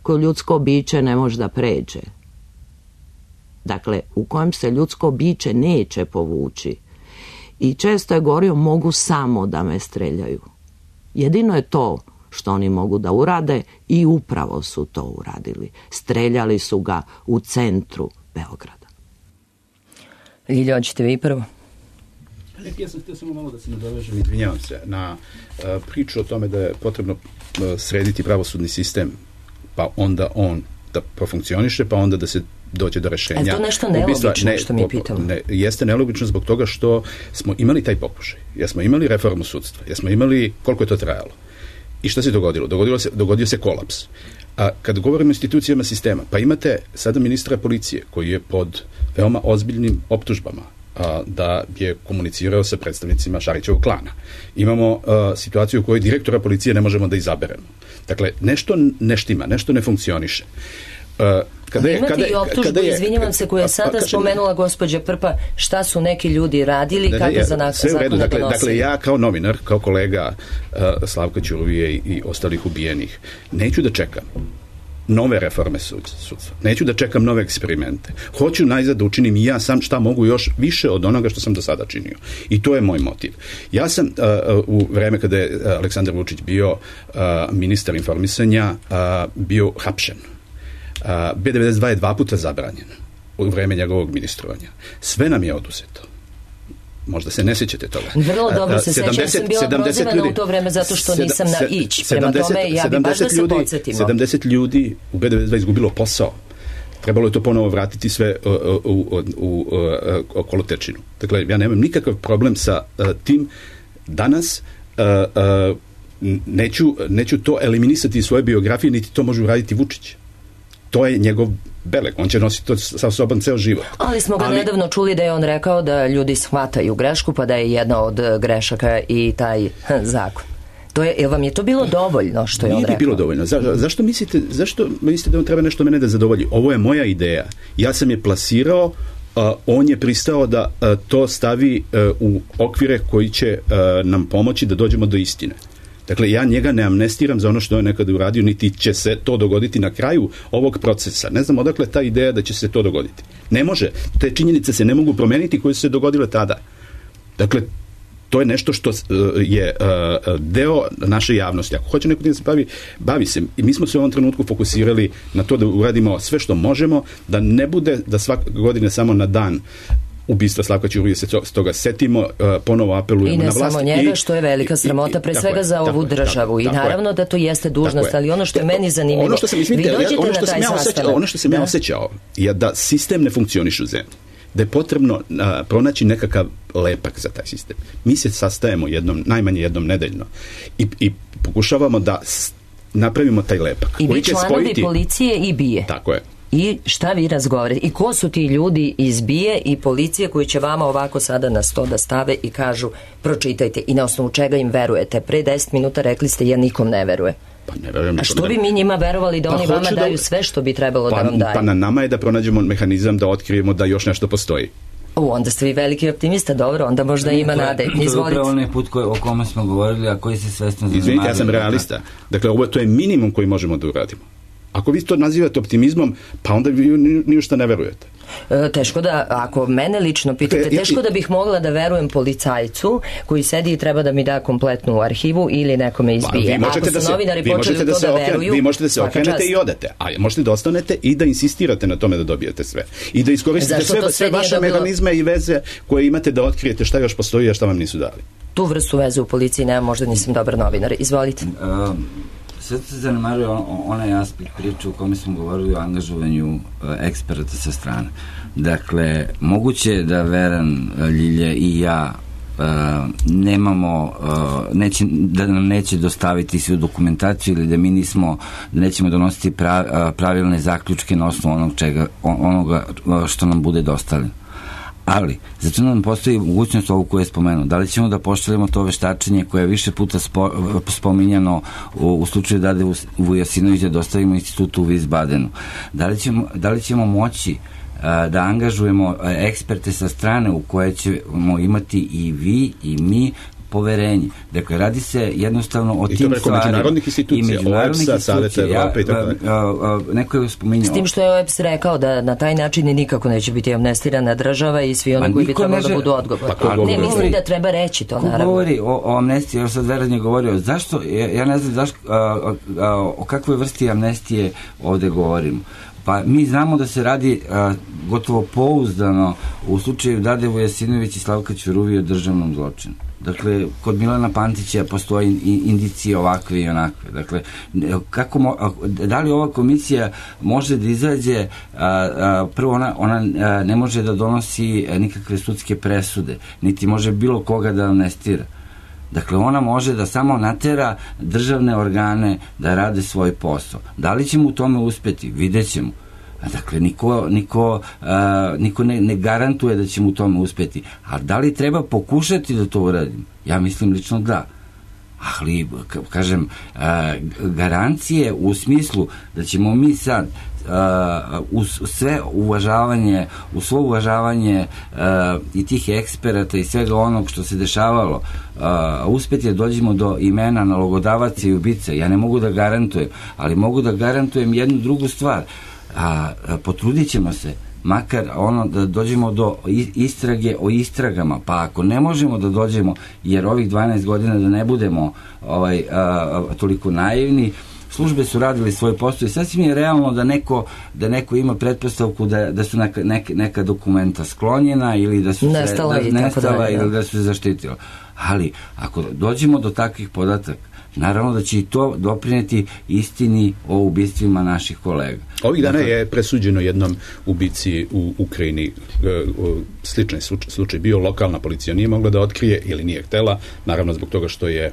koju ljudsko biće ne može da pređe. Dakle, u kojem se ljudsko biće neće povući. I često je govorio, mogu samo da me streljaju. Jedino je to što oni mogu da urade i upravo su to uradili. Streljali su ga u centru Beograda. Ljilja, hoćete vi prvo? Ja sam htio samo malo da se nadovežem, izvinjavam se, na uh, priču o tome da je potrebno uh, srediti pravosudni sistem, pa onda on da profunkcioniše, pa onda da se dođe do rešenja. Je to nešto nelogično ne, što mi pitamo? Ne, jeste nelogično zbog toga što smo imali taj pokušaj. Ja smo imali reformu sudstva. Ja smo imali koliko je to trajalo. I šta se dogodilo? Dogodilo se, dogodio se kolaps. A kad govorimo o institucijama sistema, pa imate sada ministra policije koji je pod veoma ozbiljnim optužbama a, da je komunicirao sa predstavnicima Šarićevog klana. Imamo a, situaciju u kojoj direktora policije ne možemo da izaberemo. Dakle, nešto ne štima, nešto ne funkcioniše. A, kada je, imate kada, i optužbu, kada je, izvinjavam se, koja je sada pa, spomenula gospođa Prpa, šta su neki ljudi radili, da, kako ja, za nak- zakone donosili. Dakle, dakle, ja kao novinar, kao kolega uh, Slavka Ćuruvije i, i ostalih ubijenih, neću da čekam nove reforme sudstva. Neću da čekam nove eksperimente. Hoću najzad da učinim i ja sam šta mogu još više od onoga što sam do sada činio. I to je moj motiv. Ja sam uh, u vreme kada je Aleksandar Vučić bio uh, ministar informisanja uh, bio hapšen. Uh, B devedeset dva je dva puta zabranjen u vreme njegovog ministrovanja. Sve nam je oduzeto. Možda se ne sjećate toga. Vrlo dobro se sjećam, ja sam bila prozivana u to vreme zato što nisam na ić. Prema tome, ja bi baš da se podsjetimo. sedamdeset ljudi u B devedeset dva izgubilo posao. Trebalo je to ponovo vratiti sve u, u, u, u, u kolotečinu. Dakle, ja nemam nikakav problem sa uh, tim. Danas uh, uh, neću, neću to eliminisati iz svoje biografije, niti to može uraditi Vučić. To je njegov beleg, on će nositi to sa sobom ceo život. Ali smo ga Ali... nedavno čuli da je on rekao da ljudi shvataju grešku, pa da je jedna od grešaka i taj hm, zakon. To je, jel vam je to bilo dovoljno što je on rekao? Nije bilo dovoljno. Za, zašto, mislite, zašto mislite da on treba nešto mene da zadovolji? Ovo je moja ideja. Ja sam je plasirao, uh, on je pristao da uh, to stavi uh, u okvire koji će uh, nam pomoći da dođemo do istine. Dakle, ja njega ne amnestiram za ono što je nekada uradio, niti će se to dogoditi na kraju ovog procesa. Ne znam odakle ta ideja da će se to dogoditi. Ne može. Te činjenice se ne mogu promeniti koje su se dogodile tada. Dakle, to je nešto što uh, je uh, deo naše javnosti. Ako hoće neko da se bavi, bavi se. I mi smo se u ovom trenutku fokusirali na to da uradimo sve što možemo, da ne bude da svake godine samo na dan ubistva Slavka Ćuruvije se toga setimo, uh, ponovo apelujemo na vlast. I ne samo njega, što je velika sramota, pre svega za ovu državu. I naravno da to jeste dužnost, ali ono što je meni zanimljivo, ono što sam, vi dođete na taj sastanak. Ono što sam ja osjećao je da sistem ne funkcioniše u zemlji. Da je potrebno uh, pronaći nekakav lepak za taj sistem. Mi se sastajemo jednom, najmanje jednom nedeljno i, i pokušavamo da s, napravimo taj lepak. I vi članovi spojiti... policije i bije. Tako je. I šta vi razgovarate? I ko su ti ljudi iz bije i policije koji će vama ovako sada na sto da stave i kažu pročitajte i na osnovu čega im verujete? Pre deset minuta rekli ste ja nikom ne veruje. Pa ne verujem. A što bi mi njima verovali da pa oni vama daju da... sve što bi trebalo pa, da vam daju? Pa na nama je da pronađemo mehanizam da otkrijemo da još nešto postoji. U, onda ste vi veliki optimista, dobro, onda možda ima nade. Izvolite. To je upravo onaj put koji, o kome smo govorili, a koji se svesno zanimali. Izvinite, ja sam realista. Dakle, ovo, to je minimum koji možemo da uradimo. Ako vi to nazivate optimizmom, pa onda vi ni u šta ne verujete. E, teško da, ako mene lično pitate, teško da bih mogla da verujem policajcu koji sedi i treba da mi da kompletnu arhivu ili nekome izbije. Pa, ako su da se, novinari počeli u to da, da veruju, vi možete da se okrenete i odete, a možete da ostanete i da insistirate na tome da dobijete sve. I da iskoristite sve, sve, sve vaše dobilo... mehanizme i veze koje imate da otkrijete šta još postoji, a šta vam nisu dali. Tu vrstu veze u policiji nema, možda nisam dobar novinar. Izvolite. Um, Sad se zanemaruje onaj aspekt priče u kome smo govorili o angažovanju uh, eksperata sa strane. Dakle, moguće da Veran, Ljilja i ja uh, nemamo, uh, neće, da nam neće dostaviti svu dokumentaciju ili da mi nismo, da nećemo donositi prav, uh, pravilne zaključke na osnovu onog čega, onoga što nam bude dostavljeno. Ali, zato nam postoji mogućnost ovu koju je spomenuo. Da li ćemo da pošaljemo to veštačenje koje je više puta spo, spominjano u, u slučaju Dade Vujasinovića da dostavimo institutu u Wiesbadenu? Da li ćemo, da li ćemo moći a, da angažujemo a, eksperte sa strane u koje ćemo imati i vi i mi poverenje. Dakle, radi se jednostavno o I tim stvarima. I to preko međunarodnih institucija, međunarodnih O E P S-a, Saveta Evrope i tako dalje. Neko je spominjao. S tim što je O E P S rekao da na taj način nikako neće biti amnestirana država i svi oni koji bi trebalo da budu odgovorni. Pa ne, mislim da treba reći to, naravno. Ko govori o, o amnestiji, još sad Veran je govorio, zašto, ja, ja ne znam zašto, a, a, o kakvoj vrsti amnestije ovde govorimo. Pa mi znamo da se radi a, gotovo pouzdano u slučaju Dade Vujasinović i Slavka Ćuruvije o državnom zločinu. Dakle, kod Milana Pantića postoji indicije ovakve i onakve. Dakle, kako mo, da li ova komisija može da izađe, a, a, prvo ona, ona a, ne može da donosi nikakve sudske presude, niti može bilo koga da amnestira. Dakle, ona može da samo natera državne organe da rade svoj posao. Da li ćemo u tome uspeti? Vidjet ćemo. Dakle, niko, niko, uh, niko ne, ne garantuje da ćemo u tome uspeti. A da li treba pokušati da to uradimo? Ja mislim lično da. Ali, kažem, uh, garancije u smislu da ćemo mi sad uh, uz sve uvažavanje, uz svo uvažavanje uh, i tih eksperata i svega onog što se dešavalo, uh, uspeti da dođemo do imena nalogodavaca i ubica. Ja ne mogu da garantujem, ali mogu da garantujem jednu drugu stvar. A, a potrudit ćemo se makar ono da dođemo do istrage o istragama, pa ako ne možemo da dođemo, jer ovih dvanaest godina da ne budemo ovaj, a, a, toliko naivni, službe su radili svoj posao i sasvim je realno da neko, da neko ima pretpostavku da, da su neka, neka, neka dokumenta sklonjena ili da su nestala, se, da, nestala dalje, ili da su se zaštitila. Ali ako dođemo do takvih podataka, naravno da će i to doprineti istini o ubistvima naših kolega. Ovih dana je presuđeno jednom ubici u Ukrajini. Sličan slučaj bio, lokalna policija nije mogla da otkrije ili nije htela, naravno zbog toga što je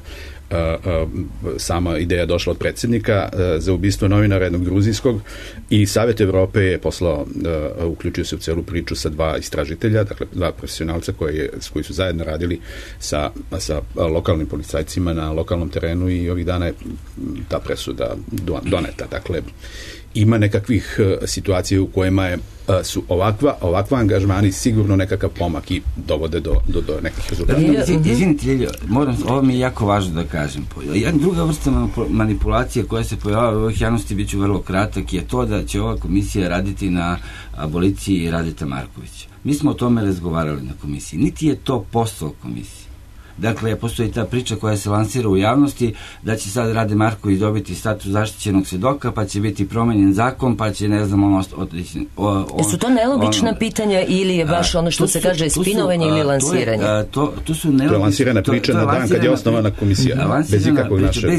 Uh, uh, sama ideja došla od predsjednika uh, za ubistvo novinara jednog gruzijskog i Savjet Evrope je poslao, uh, uključio se u celu priču sa dva istražitelja, dakle dva profesionalca koji, je, koji su zajedno radili sa, sa lokalnim policajcima na lokalnom terenu i ovih dana je ta presuda doneta. Dakle, ima nekakvih uh, situacija u kojima je, uh, su ovakva, ovakva angažmani sigurno nekakav pomak i dovode do, do, do nekih rezultata. Izvinite, Ljiljo, moram, ovo mi je jako važno da kažem. Jedna druga vrsta manipulacije koja se pojavila u ovih javnosti, bit ću vrlo kratak, je to da će ova komisija raditi na aboliciji Radeta Markovića. Mi smo o tome razgovarali na komisiji. Niti je to posao komisije. Dakle, postoji ta priča koja se lansira u javnosti da će sad Rade Marković dobiti status zaštićenog svedoka, pa će biti promenjen zakon, pa će, ne znam, ono... Jesu to nelogična ono, pitanja ili je baš ono što se su, kaže spinovanje ili lansiranje? To, je, to, to su nelogične... To je lansirana priča to, to na dan kad je osnovana komisija, bez ikakvog našeg...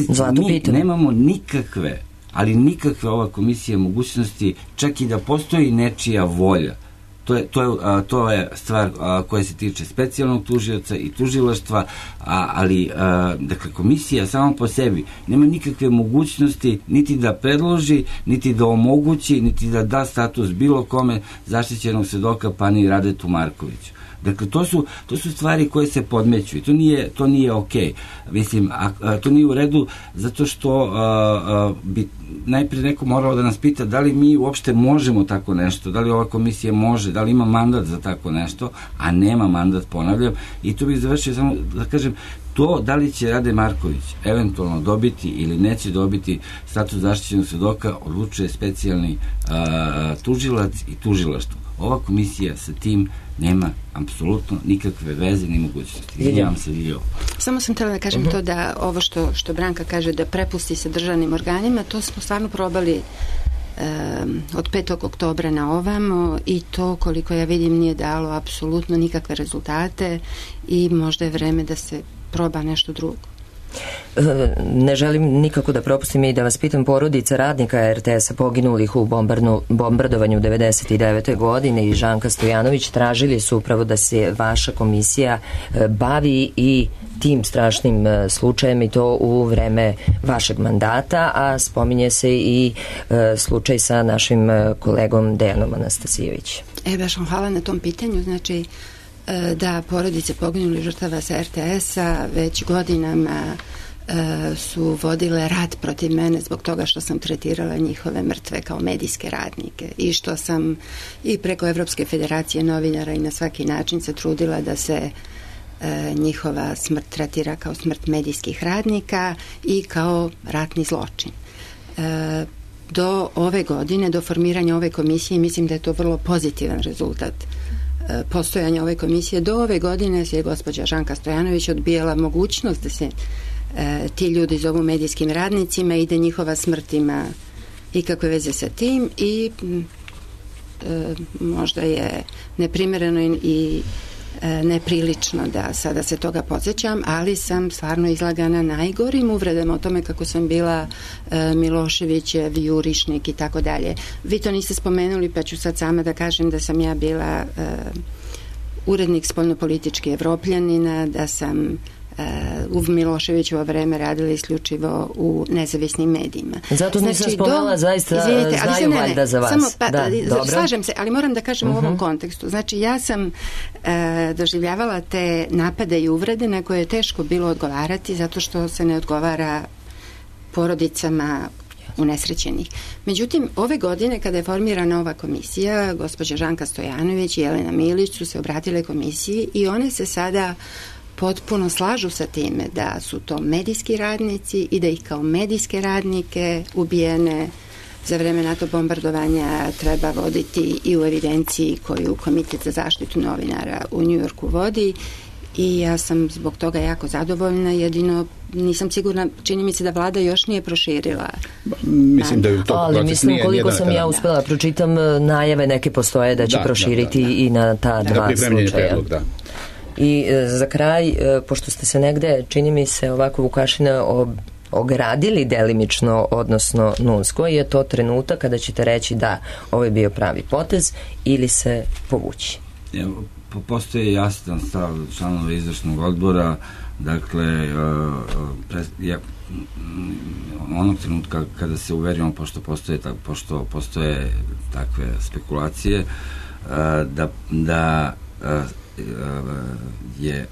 Mi nemamo nikakve, ali nikakve ova komisija mogućnosti, čak i da postoji nečija volja. To je, to je, a, to je stvar a, koja se tiče specijalnog tužioca i tužilaštva, a, ali a, dakle, komisija sama po sebi nema nikakve mogućnosti niti da predloži, niti da omogući, niti da da status bilo kome zaštićenog svedoka, pa ni Radetu Markoviću. Dakle, to su, to su stvari koje se podmeću i to nije, to nije okej. Mislim, a, a, to nije u redu zato što a, a, bi najprije neko moralo da nas pita da li mi uopšte možemo tako nešto, da li ova komisija može, da li ima mandat za tako nešto, a nema mandat, ponavljam, i tu bih završio samo da kažem, to da li će Rade Marković eventualno dobiti ili neće dobiti status zaštićenog svedoka odlučuje specijalni a, tužilac i tužilaštvo. Ova komisija sa tim nema apsolutno nikakve veze ni mogućnosti. Izvinjavam se, Ljiljo. Samo sam htjela da kažem uh-huh. to da ovo što, što Branka kaže da prepusti se državnim organima, to smo stvarno probali um, od petog oktobra na ovamo i to, koliko ja vidim, nije dalo apsolutno nikakve rezultate i možda je vreme da se proba nešto drugo. Ne želim nikako da propustim i da vas pitam, porodica radnika er te es-a poginulih u bombarnu, bombardovanju devedeset devete. godine i Žanka Stojanović tražili su upravo da se vaša komisija bavi i tim strašnim slučajem i to u vreme vašeg mandata, a spominje se i slučaj sa našim kolegom Dejanom Anastasijevićem. E, baš vam hvala na tom pitanju. Znači, da, porodice poginulih žrtava sa er te es-a već godinama e, su vodile rat protiv mene zbog toga što sam tretirala njihove mrtve kao medijske radnike i što sam i preko Evropske federacije novinara i na svaki način se trudila da se e, njihova smrt tretira kao smrt medijskih radnika i kao ratni zločin. E, do ove godine, do formiranja ove komisije, mislim da je to vrlo pozitivan rezultat postojanja ove komisije. Do ove godine se je gospođa Žanka Stojanović odbijala mogućnost da se e, ti ljudi zovu medijskim radnicima i da njihova smrt ima ikakve veze sa tim i e, možda je neprimereno i, i e, neprilično da sada se toga podsjećam, ali sam stvarno izlagana najgorim uvredama o tome kako sam bila e, Miloševićev jurišnik i tako dalje. Vi to niste spomenuli, pa ću sad sama da kažem da sam ja bila e, urednik spoljnopolitički Evropljanina, da sam u Miloševićevo vreme radili isključivo u nezavisnim medijima. Zato nisam znači, spomenula, do, zaista izvinite, znaju ne, valjda za vas. Samo, pa, da, slažem se, ali moram da kažem uh-huh. u ovom kontekstu. Znači, ja sam e, doživljavala te napade i uvrede na koje je teško bilo odgovarati zato što se ne odgovara porodicama unesrećenih. Međutim, ove godine kada je formirana ova komisija, gospođa Žanka Stojanović i Jelena Milić su se obratile komisiji i one se sada potpuno slažu sa time da su to medijski radnici i da ih kao medijske radnike ubijene za vreme NATO bombardovanja treba voditi i u evidenciji koju Komitet za zaštitu novinara u Njujorku vodi i ja sam zbog toga jako zadovoljna, jedino nisam sigurna, čini mi se da vlada još nije proširila. Mislim da je u toku ali proces mislim nije, koliko nije sam ja uspela pročitam, najave neke postoje da će da, proširiti da, da, da. i na ta da, dva slučaja. Predlog, da. I e, za kraj, e, pošto ste se negde, čini mi se ovako Vukašina ob, ogradili delimično, odnosno Nuns, koji je to trenutak kada ćete reći da ovo je bio pravi potez ili se povući? Evo, postoji jasan stav članova izvršnog odbora, dakle pre, ja, onog trenutka kada se uverimo, pošto postoje, tak, pošto postoje takve spekulacije, da, da je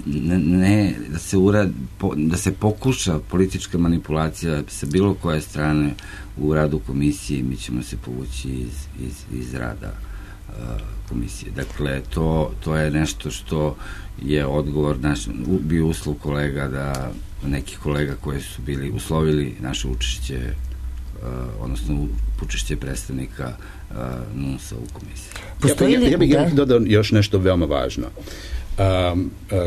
ne, ne da se urad, da se pokuša politička manipulacija sa bilo koje strane u radu komisije, mi ćemo se povući iz, iz, iz rada komisije. Dakle, to, to je nešto što je odgovor naš, bio uslov kolega da nekih kolega koji su bili uslovili naše učešće, uh, odnosno učešće predstavnika uh, Nunsa u komisiji. Postoji li, ja, ja, bih, ja bih dodao još nešto veoma važno. Um, uh,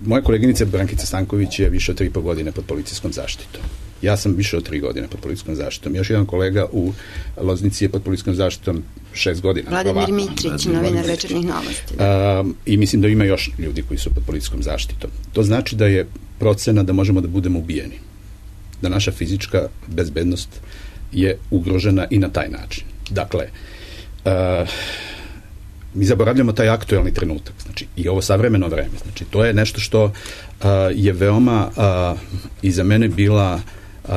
moja koleginica Brankica Stanković je više od tri i po godine pod policijskom zaštitom. Ja sam više od tri godine pod policijskom zaštitom. Još jedan kolega u Loznici je pod policijskom zaštitom šest godina. Vladimir Mitrić, novinar Večernjih novosti. Um, I mislim da ima još ljudi koji su pod policijskom zaštitom. To znači da je procena da možemo da budemo ubijeni. Da naša fizička bezbednost je ugrožena i na taj način. Dakle, uh, mi zaboravljamo taj aktuelni trenutak. Znači, i ovo savremeno vreme. Znači, to je nešto što uh, je veoma uh, i za mene bila Uh,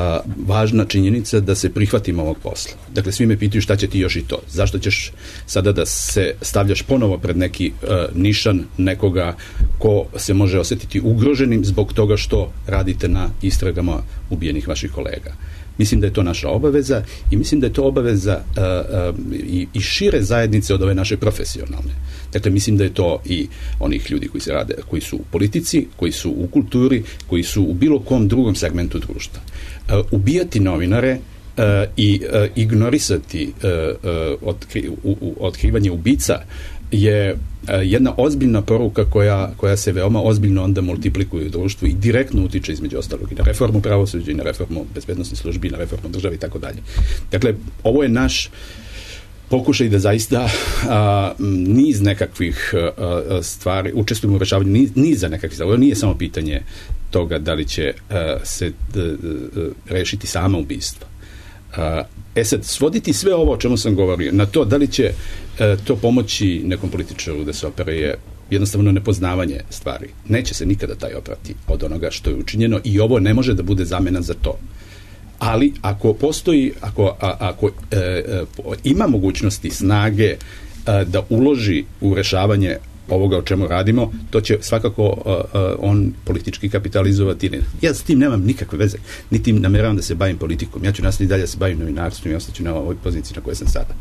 važna činjenica da se prihvatimo ovog posla. Dakle, svi me pitaju šta će ti još i to. Zašto ćeš sada da se stavljaš ponovo pred neki uh, nišan nekoga ko se može osetiti ugroženim zbog toga što radite na istragama ubijenih vaših kolega. Mislim da je to naša obaveza i mislim da je to obaveza uh, uh, i, i šire zajednice od ove naše profesionalne. Dakle, mislim da je to i onih ljudi koji se rade, koji su u politici, koji su u kulturi, koji su u bilo kom drugom segmentu društva. Uh, ubijati novinare uh, i uh, ignorisati uh, uh, otkri, u, u, otkrivanje ubica je uh, jedna ozbiljna poruka koja, koja se veoma ozbiljno onda multiplikuje u društvu i direktno utiče između ostalog i na reformu pravosuđa i na reformu bezbednosnih službi i na reformu države i tako dalje. Dakle, ovo je naš pokušaj da zaista a, niz nekakvih a, stvari, učestvujemo u rešavanju niz, niza nekakvih stvari. Ovo nije samo pitanje toga da li će a, se d, d, d, rešiti sama ubistva. A, e sad, svoditi sve ovo o čemu sam govorio na to da li će a, to pomoći nekom političaru da se opere je jednostavno nepoznavanje stvari. Neće se nikada taj oprati od onoga što je učinjeno i ovo ne može da bude zamena za to. Ali ako postoji, ako, a, ako e, e, ima mogućnosti snage e, da uloži u rešavanje ovoga o čemu radimo, to će svakako a, a, on politički kapitalizovati. Ja s tim nemam nikakve veze, niti nameravam da se bavim politikom. Ja ću nastaviti dalje da se bavim novinarstvom i ostaću na ovoj poziciji na kojoj sam sada.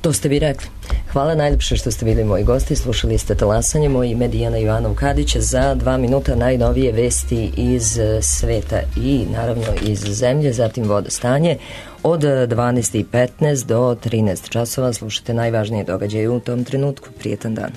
To ste vi rekli. Hvala najljepše što ste bili moji gosti. Slušali ste Talasanje, moji Medijana Ivanov Kadić. Za dva minuta najnovije vesti iz sveta i naravno iz zemlje, zatim vodostanje. Od dvanaest i petnaest do trinaest časova slušate najvažnije događaje u tom trenutku. Prijetan dan.